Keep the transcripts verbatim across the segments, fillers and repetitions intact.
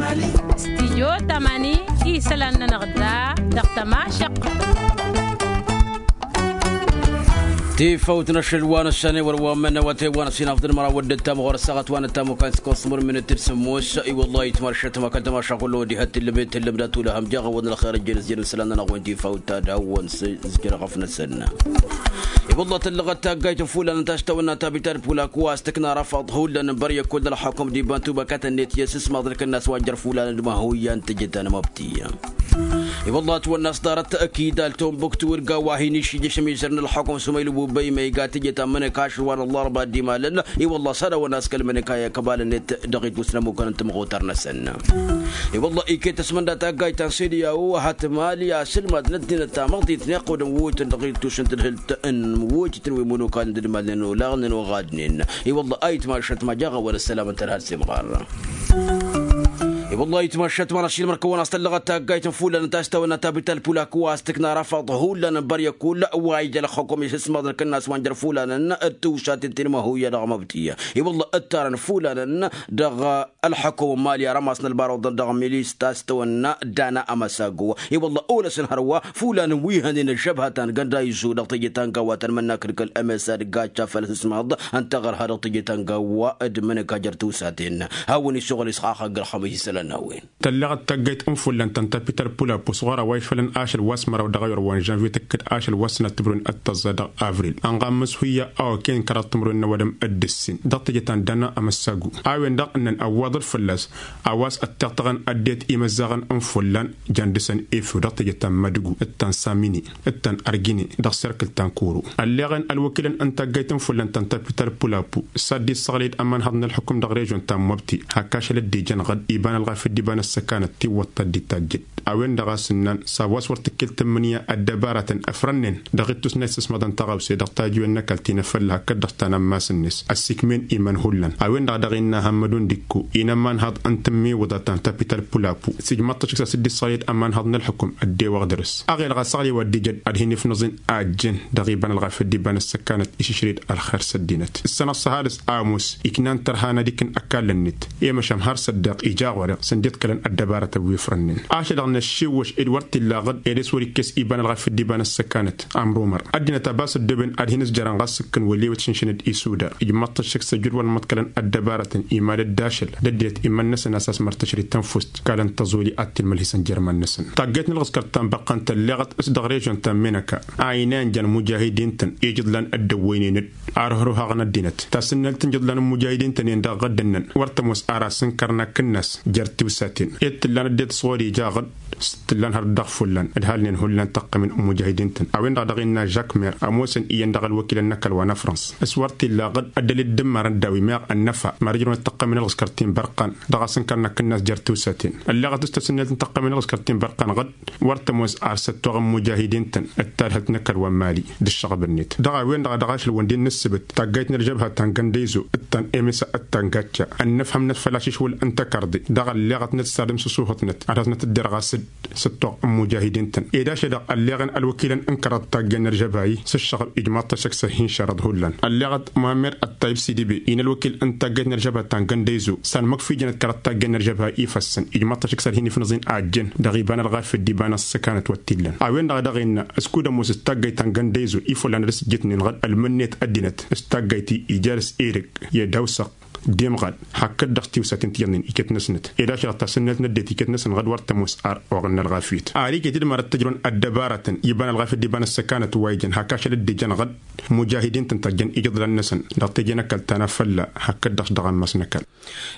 Stijyo tamani isălan-nănăɣ da dăɣ-tămašăq. Tifawt n-ašăl wa n-ăssan i-wăr wa n-mănna wa tewwa n-ăsinafḍăn măraw wădden tamăɣ wăr-ăssaɣăt wa n-ăttamukăn s-kosmur minit d-sămmos i-wălla itmăršăt ma kăl-tămaša kullu wăddi hăt tillăbet tillămda tulăhăm jaɣ-wăd n-ălxer ăjjăn s-jăn isălan-nănăɣ wen tifawt ta d-hawăn s-jăn ɣăf-năsăn. I-wălla tăllăɣăt taggayt n-fulan n-taštawănna tabital pulak wa s-tǝkna rafăḍ hullan n-băryăkul d-ălxukum d-iban tubăkatăn-net i-asǝsmaḍ n-kănnas wa n-jer-fulan d-mahuyyan tǝjǝt anmăbti. I-wălla ătwănna s-ḍarăt kidal tombuktu d-gawa hin-išijǝšăm izăr n-ălxukum s-umaylu bubăy ma iga tǝjǝt amănăk ašăl wa n-ăllarba d-imalăn. I-wălla s-ad-awăn-askăl mănăk a i-kăbalăn-net dăɣ-itwǝsnămukăn n-tămɣutar-năsăn. I-wălla iket ăsmănda taggayt ta n-sediyaw hătmal i-asǝlmad n-ăddinăt tamăḍit n-iqqudăn wutăn dăɣ-itwǝsnăt d-hǝlt n-wutăn wi mănokal n-dădmalnen olaɣnen oɣadnen. I-wălla a itmašăt ma jaɣ-awăn ăssălam n-tărha d-semɣar. I-wălla a itmašăt ma n-ašilmăr kăwăn-as tăllăɣăt taggayt n-fulan n-tastawăn n-atabital pulak wa s-tǝkna rafăḍ hullan n-băryăkul wa ija ălxukum i-sǝsmaḍ n-kănnas wa n-jer-fulan d-tiwsaten ti n-imăhuya dăɣ-măbti. I-wălla ǝttarăn fulan dăɣ-ălxukum n-mali arămas n-ălbar oḍăn dăɣ-milis tastawăn n-dana amăsago. I-wălla olăsăn hărwa fulan wi hănen ăžžăbhăt ta n-gănda izo dăɣ-teje ta n-gawa ta n-mănnakǝd kăl-emesa d-gacca făll-asǝsmaḍ ănta ɣărha dăɣ-teje ta n-gawa d-mănăk ajăr tiwsaten. Hawăn-issoɣăl isxaxăgg ălxămăs isălan n-a-wen. Tălleɣăt taggayt n-fullan ta n-tapital pulapus ɣur-a-wa išfălăn ašăl wa s-măraw dăɣ-ayǝr wa n-žănvye tǝkkǝd ašăl wa s-sănat timǝrwen d-tăẓẓa dăɣ-avril ănɣa n-mǝshuya a okăyăn kăraḍ timǝrwen n-ăwadǝm d-ǝssin dăɣ-teje ta n-dana amăssagu. A-wen-dăɣ ǝnnăn ăwwaḍăl fălla-s a-wa s-ăttiɣtăɣăn ăddinăt imăzzaɣăn n-fullan jan dăr-săn efew dăɣ-teje ta n-mădǝgu d-ta n-samini d-ta n-argine dăɣ-serkǝl ta n-kuru. Ălleɣen ălwăkilăn n-taggayt n-fullan ta n-tapital pulapu s-ad-dd-issăɣlăy-dd ămanhăḍ n-ălxukǝm dăɣ-režon ta n-mobti hak ašăl dd-ijăn ɣǝd iba n-ălɣafyăt d-iba n-ăssăkanăt tiwwăḍt ta dd-itajjăd. A-wen-dăɣ a-s ǝnnan s-a-wa s-wăr t-ǝkkǝl tǝmmǝnǝya ăddăbarătăn ăfrănnen dăɣ-ittus n-a isǝsmăḍăn tăɣawse dăɣ-tajǝwen n-ăkall ti n-afălla hakd-dăɣ ta n-ammas-net ăssiikmen iman hullan. A-wen-dăɣ dăɣ-innă hămmădun d-ikku-i n-ămanhăḍ n-tǝmmiwǝḍa ta n-tapital pulapu s-ijmăḍ-t ăššǝk s-a-s dd-issăɣlăy-dd ămanhăḍ n-ălxukǝm ăddewăɣ dăr-s. Aɣelăɣ asăɣlăy wa dd-ijăd ad-hin-ifnăẓ-in a ăjjeen dăɣ-iba n-ălɣafyăt d-iba n-ăssăkanăt išǝšrǝy-dd ălxer s-ăddinăt ǝssănăɣ s-ăhalǝs ămoos iknan tărha n-ad-ikǝn ăkall-net i-măšan har s-ăddeɣ ija ɣur-eɣ săn dd-iḍkălăn ăddăbarătăn wi ǝfrănnen. Ašăl-dăɣ năššiwwăš ed wăr t-illa ɣǝd ed s-wăr-ikkes iba n-ălɣafyăt d-iba n-ăssăkanăt ămrumăr ăddinăt a ba s-ăddooben ad-hin-ǝzjărăn ɣas s-ǝkkǝn wăl' ewăt šǝnšǝnăd isudar ijmăḍ-t ăššǝk s-ăjud wăr nǝmmăḍkălăn ăddăbarătăn imalăt d-ašăl d-ăddinăt iman-năsăn a-s a-s mărtăšrǝy tănfust. Kal n-tăẓoli ad-t-ilmălhǝsăn jer-iman-năsăn taggayt n-ǝlɣǝskăr ta n-băqqan tălleɣăt s-dăɣ-režon ta n-menăka a inayăn jan mujahidin-tăn ijǝḍlan dd-ăwwăynen-dd arhăruhaɣ n-ăddinăt tasǝnnălt n-ijǝḍlan n-mujahidin-tăn-en dăɣ-ɣǝddǝnnăn wăr tămoos ar asǝnkăr n-akǝnnas. Jer-tiwsaten ed t-ǝllan ăddinăt s-ɣur-ija ɣǝd s-t-ǝllan hărăt dăɣ-fullan ǝdhalnen hullan tăqqămen n-mujahidin-tăn. A-wen-dăɣ dăɣ-innă žakmer ămoosăn iyyăn dăɣ-ălwăkilăn n-ăkall wa n-afrăns s-wăr t-illa ɣǝd ăddăl dd-ǝmmarăn daw-i meɣ ănnăfa măr ǝjrăwăn d-tăqqămen ǝlɣǝskăr ti n-bărqan dăɣ-asǝnkăr n-akǝnnas jer-tiwsaten. Ălleɣăt s-tasǝnnelt n-tăqqămen ǝlɣǝskăr ti n-bărqan ɣǝd wăr tămoos ar s-ăttoɣ n-mujahidin-tăn d-tadhǝlt n-ăkall wa n-mali d-ǝššăɣb-net. Dăɣ-a-wen-dăɣ a dăɣ-ašăl wăndin n-ǝssǝbǝt taggayt n-ălžăbha ta n-găndăyzo d-ta n-emesa d-ta n-gacca ănnăfhăm-năt făll-ašǝšwǝl n-tăkarḍe dăɣ-ălleɣăt n-ad-ǝssadǝm s-asuhătnăt ad-hasnăt-dd-irɣas-dd s-ăttoɣ n-mujahidin-tăn. Ed ašăl-dăɣ ălleɣăn ălwăkilăn n-kăraḍ taggayt n-ălžăbha-i s-ǝššăɣb ijmaḍ-t ăššăk s-ăhinšărăḍ hullan ălleɣăt muhammed ăttayǝb sidibe-i n-ălwăkil n-taggayt n-ălžăbha ta n-găndăyzo s-anmăkf ijănăt kăraḍ taggayt n-ălžăbha-i ifăssăn ijmaḍ-t ăššăk s-ad-hin-ifnăẓ-in a ăjjeen dăɣ-iba n-ălɣafyăt d-iba n-ăssăkanăt wăr t-illan. A-wen-dăɣ a dăɣ-innă s-kud-ămoos s-taggayt ta n-găndăyzo ifollan ad-ăsǝjjǝtnen ɣǝd ǝlmǝnnet ăddinăt s-taggayt-i ija dăr-s edăgg i-ad-awsăɣ d-imɣal hakd-dăɣ tiwsaten ti iyyăḍnen iket-năsnăt. Ed ašăl-dăɣ tasǝnnălt n-ăddinăt iket-năsnăt ɣǝd wăr tămoos ar oɣǝl n-ălɣafyăt ar iket-dd mărăt tǝjrǝwăn ăddăbarătăn iba n-ălɣafyăt d-iba n-ăssăkanăt wa ijăn hak ašăl dd-ijăn ɣǝd mujahidin-tăn tăjjăn ijǝḍlan-năsăn dăɣ-teje n-ăkall ta n-afălla hakd-dăɣ dăɣ-ammas n-ăkall.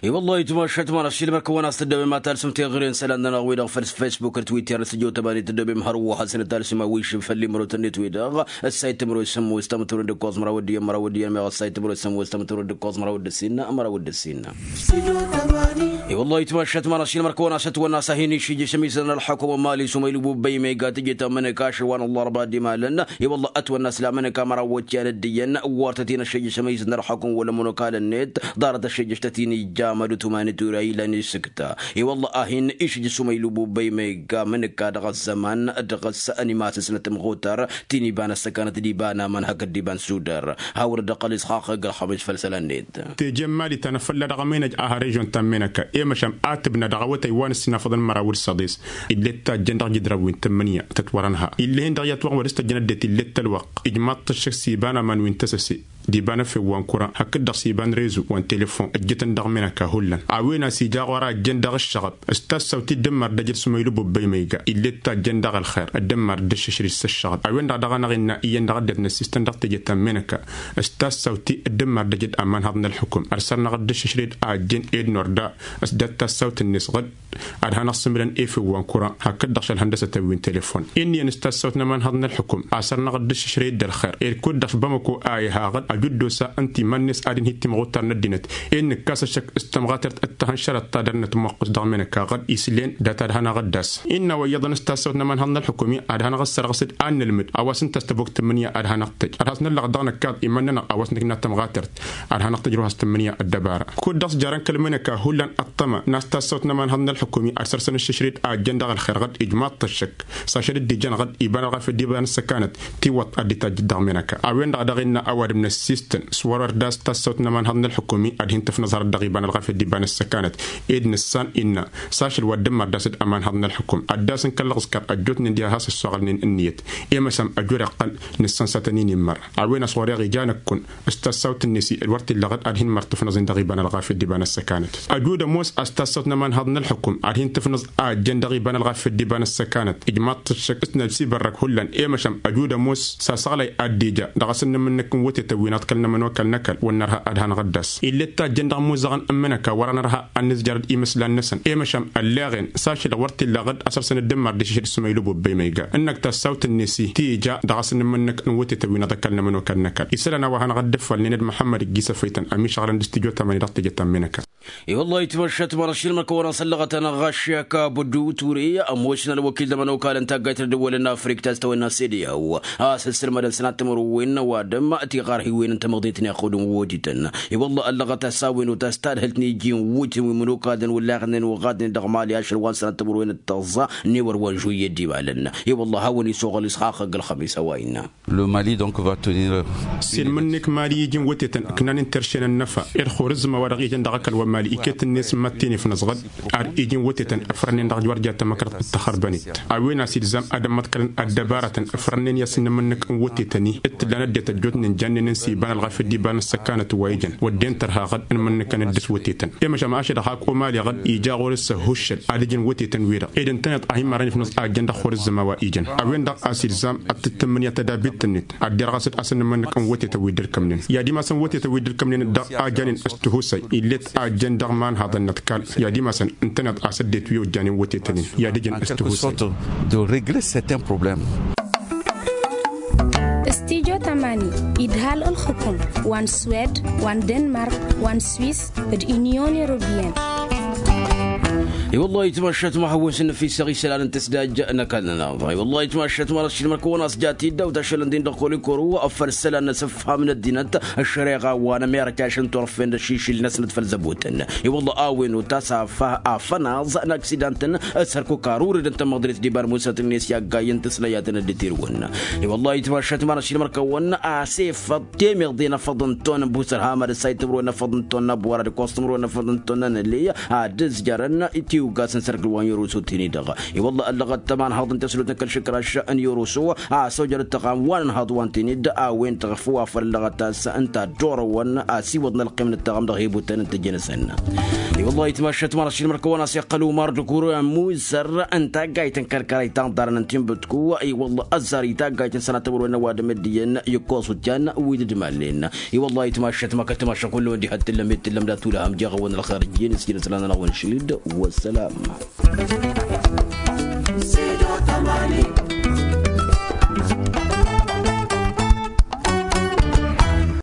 I-wăllah itmašat ma n-ašilmăr kăwăn-as tăddobem ad-talsǝm teɣăre n-isălan-nănăɣ-wi-dăɣ făll-s fesbuk d-twitter n-sǝjo tămani tăddobem hărwa hasăn-dd-talsǝm awišǝm făll-imrotăn-net-wi-dăɣ ăssayt timǝrwe s-sămmos tamǝtwăren d-ǝkkoẓ măraw d-iyyăn măraw d-iyyăn meɣ ăssayt timǝrwe s-sămmos tamǝtwăren d-ǝkkoẓ măraw d-ǝssin măraw d-ǝssin. I-wăllah itmašat ma n-ašilmăr kăwăn-as ătwănna s-ad-hin-išijjǝšăm isălan ălxukum n-mali s-umaylu bubbăy ma iga tǝjǝt amănăk ašăl wa n-ăllarba d-imalăn. I-wăllah ătwănna s-lamănăk a măraw wătyan dd-iyyăn wăr tăt-in-ăššejjăšăm isǝnna ălxukum wăla ămănokalăn-net ḍarăt ăššejjăš tăt-in-ija amădut umanit ura ilan isǝkta. I-wăllah a hin-išǝjjǝš umaylu bubbăy ma iga amănăk a dăɣ-ăzzăman dăɣ-s ănimăsăsnăt ămɣutar ti n-iba n-ăssăkanăt d-iba n-aman hakd d-iba n-sudar. Hawăr-dd ăqqăl isxaqq ăgg-ălxămăs făll-isălan-net. Teje n-mali ta n-afălla dăɣ-ămăynăj a har režon ta n-menăka. i-măšan a tǝbna dăɣ-awătay wa n-ǝssinafăḍăn măraw d-săḍis. Ill'-e d tajjăn dăɣ-jǝdran wi n-tǝmmǝnǝya tătwărăn ha ill'-e-hin dăɣ-i ătwăɣ wăr s-tăjjăn ăddinăt ill'-e d-tălwăqq ijmaḍ-t ăššăk s-iba n-aman wi n-tăsăse d-iba n-efew wa n-kuran hakd-dăɣ s-iba n-rezo wa n-telefon ǝjjǝtăn dăɣ-menăka hullan. A-wen a-s ija ɣur-a ăjjăn dăɣ-ǝššăɣăb s-tassawt-i dd-ǝmmar d-ejăd s-umaylu bobba imăyga ill'-e d tajjăn dăɣ-ălxer dd-ǝmmar dd-ǝššǝšrǝj s-ǝššăɣăb. A-wen-dăɣ daɣ-anăɣ innă iyyăn dăɣ-ăddinăt n-ăssistăn dăɣ-teje ta n-menăka s-tassawt-i dd-ǝmmar d-ejăd aman haḍăn ălxukǝm ărsărnăɣ dd-ǝššǝšrǝj a ăjjeen ed n-orda s-dat tassawt-net ɣǝd ad-hanăɣ-sǝmǝlăn efew wa n-kuran hakd-dăɣ šălhăndăsătăn wi n-telefon. Inn'-iyyăn s-tassawt n-ămanhăḍ n-ălxukǝm a sărnăɣ dd-ǝššǝšrăy dd-ălxer ed kud-dăɣ bamăko a iha ɣǝd ajuddos-a ǝnta iman-net ad-inhǝy timɣutar n-ăddinăt ed nǝkkas ăššăk s-tămɣatert d-tahănšărăt ta dăr-nătmăqqǝs dăɣ-menăka ɣǝd islen dat-ad-hanăɣ-dd-as. Innă wa iyyăḍăn s-tassawt n-ămanhăḍ n-ălxukǝm-i ad-hanăɣ-dd-sărɣǝs d-ad-nǝlmǝd a-wa s-ǝnta a-s tăbokt tǝmmǝnǝya ad-hanăɣ-tăj ad-has-năllăɣ dăɣ-năkkaḍ iman-nănăɣ a-wa s-nǝkna tămɣatert ad-hanăɣ-tăj ruh a-s tǝmmǝnǝya ăddăbara. Kud-dăɣ s-jarăn kăl-menăka hullan ăṭṭăma n-a-s tassawt n-ămanhăḍ n-ălxukum-i ad-săr-săn ǝššǝšrǝy-dd a ăjjăn dăɣ-ălxer ɣǝd ijmaḍ-t ăššăk. S-ašăl dd-ijăn ɣǝd iba n-ălɣafyăt d-iba n-ăssăkanăt tiwwăḍt ad-dd-tajjǝd dăɣ-menăka. A-wen-dăɣ daɣ innă ăwadǝm n-ăssistăn s-wăr-wăr d-a-s tassawt n-ămanhăḍ n-ălxukum-i ad-hin-tǝfnăẓ hărăt dăɣ-iba n-ălɣafyăt d-iba n-ăssăkanăt ed nǝssan innă s-ašăl wa dd-ǝmmăr d-asǝd ămanhăḍ n-ălxukum ad-dd-asǝnkăl lăɣǝskăr ăjjootnen diha has-ăssoɣălnen ǝnniyăt. I-măšan ăjud iqqăl nǝssan s-ad-tăn-in-immăr a-wen a-s ɣur-eɣ ija năkkun s-tassawt-net i-ălwăr t-illa ɣǝd ad-hin-măr tǝfnăẓ-in dăɣ-iba n-ălɣafyăt d-iba n-ăssăkanăt. Ăjud ămoos a-s tassawt n-ămanhăḍ n-ălxukum ad-hin-tǝfnăẓ a ăjjăn dăɣ-iba n-ălɣafyăt d-iba n-ăssăkanăt ijmaḍ-t ăššăk s-nălsibărrăk hullan. I-măšan ăjud ămoos s-asăɣlay ad-dd-ija dăɣ-asǝnnǝm-năk kăl-nămănokal n-ăkall wăr nărha ad-hanăɣ-dd-as. Ill'-e d tajjăn dăɣ-imuzăɣăn n-imǝnăka wăr-anărha ad-nǝzjărăd imǝslan-năsăn i-măšan ălleɣen s-ašăl ɣur t-illa ɣǝd a săr-săn dd-ǝmmar d-išǝšǝd s-umaylu bobba imăyga ǝnnăk tassawt-net i-ti ija dăɣ-asǝnnǝm-năk n-wătetăn wi n-ad-ăkall n-ămănokal n-ăkall isălan a-wa hanăɣ-dd-ǝffălnen d-muḥămmăd ǝggis ăfăytăn ămišăɣlăn d-stujo tamăni dăɣ-teje ta n-imǝnăka. I-wăllah itmăššat mărašil măkăwăn-asăllăɣăt-anăɣ ɣaššek abdu ture ămoos n-ălwăkil d-ămănokal n-taggayt n-ăddăwăl n-afrika ta s-tawănna sediyaw a-s ǝssǝlmădăn sănat timǝrwen n-ăwadǝm tiɣarhiwen n-tamăḍit n-iqqud n-wodităn. I-wălla ăllăɣăt a-s a-wen otas tadhǝlt n-iji n-wutǝn wi mănokadăn wălla iɣǝnnan wăɣadnen dăɣ-mali ašăl wa n-sănăt timǝrwen d-tăẓẓa n-ewăr wa n-žuyye dd-imalăn. I-wălla a hawăn-isoɣăl isxaxăgg ălxămis a-wa innă. Le mali donc va tenir. S-inmǝnnek mali iji n-wătetăn ǝknanen terše n-ănnăfa ed xurǝzzǝma wa dăɣ-ijăn dăɣ-ăkall wa n-mali iket-net mad-t-in-ifnăẓɣăd. Ar iji n-wătetăn ǝfrănnen dăɣ-wăr ja tămăkrăḍt d-taxărbănet a-wen a-s ilzam ad-ămmăḍkălăn ăddăbarătăn ǝfrănnen i-asǝnnǝm-năk n-wătetăn-i d-tǝllan ăddinăt ăjjootnen jannen n-siba n-ălɣafyăt d-iba n-ăssăkanăt wa ijăn wădden tărha ɣăd n-imǝnnǝkăn dd-s wătetăn. I-măšan ašăl hak omali ɣăd ija ɣur-s ăhhuššăl ad-ǝjǝn wătetăn-wi-dăɣ ed ǝntăneḍ a hin-mărăn ifnǝẓ a ǝjjăn dăɣ-xurǝzzǝma wa ijăn a-wen-dăɣ a-s ilzam ad-tǝttǝmmǝnǝya tădabilt-net ad-derɣăsăd asǝnnǝm-năk n-wătetăn wi dd-ǝlkămnen i-ad-imasăn wătetăn wi dd-ǝlkămnen dăɣ-a janen s-tihusay ill'-e t-a ǝjjăn dăɣ-imanhaḍăn n-ăḍkal i-ad-imasăn ǝntăneḍ a-s ăddinăt wi ojjanen wătetăn-in i-ad-ǝjǝn s-tihusay. De régler certains problèmes. Stijo tamani idhal ălxukum wa n-swed wa n-denmark wa n-swis d-inyon européenne. I-wăllah itmašat ma hawăs n-năfis aɣisălan n-tăsdaj n-ăkall-nănăɣ i-wăllah itmašat ma n-ašilmăr kăwăn-asja tiddaw tašălăn din dăɣ-kolikoro făll-isălan n-asǝfham n-ăddinăt ăššăreɣa wa n-ămerăka ašăn turfen d-ašišǝl-năsnăt făll-zăbotăn. I-wăllah a-wen otas afănaẓ n-aksidantăn s-hărkuk ar uredăn tamăḍrit d-iba n-musătnen s-i-aggayăn tǝslăyatăn dd-tirǝwăn. I-wăllah itmašat ma n-ašilmăr kăwăn-asefăḍ temeḍe n-afăḍ n-ton n-busăr hamad ăssay timǝrwen n-afăḍ n-ton n-abwăra d-ǝkkoẓ timǝrwen n-afăḍ n-ton n-anăley ad-ǝzjărăn tiwgas n-sărkǝl wa n-yorosot hin-i-dăɣ. I-wălla ăllăɣăt tămanhăḍ n-teslut n-kăl šǝkraš n-yoroso a-s ojărăt tăɣam wa n-ănhăḍ wa n-tinǝd a-wen-dăɣ făw afăl ăllăɣăt a-s ǝnta dd-orăwăn a-s iwăḍ n-ălqim n-ăttăɣăm dăɣ-hebutăn n-tejănăsăn. I-wălla itmašat ma n-ašilmăr kăwăn-as iqqăl umar d-kur musăr n-taggayt n-kăl-kărăy tanḍarăn n-tinbǝtku i-wălla ăzzar i-taggayt n-sănatămăr wa n-ăwadǝm d-iyyăn i-ǝkkoẓ utjan wi dd-mallen. I-wălla itmašat ma kăl-timašat kull-wăn diha t-tǝllăm i-tǝllăm dat-tulăhăm jeɣ-awăn ălxer ǝjjǝyăn s-jăn isălan-nănăɣ wa n-išlǝd. Wăssălam.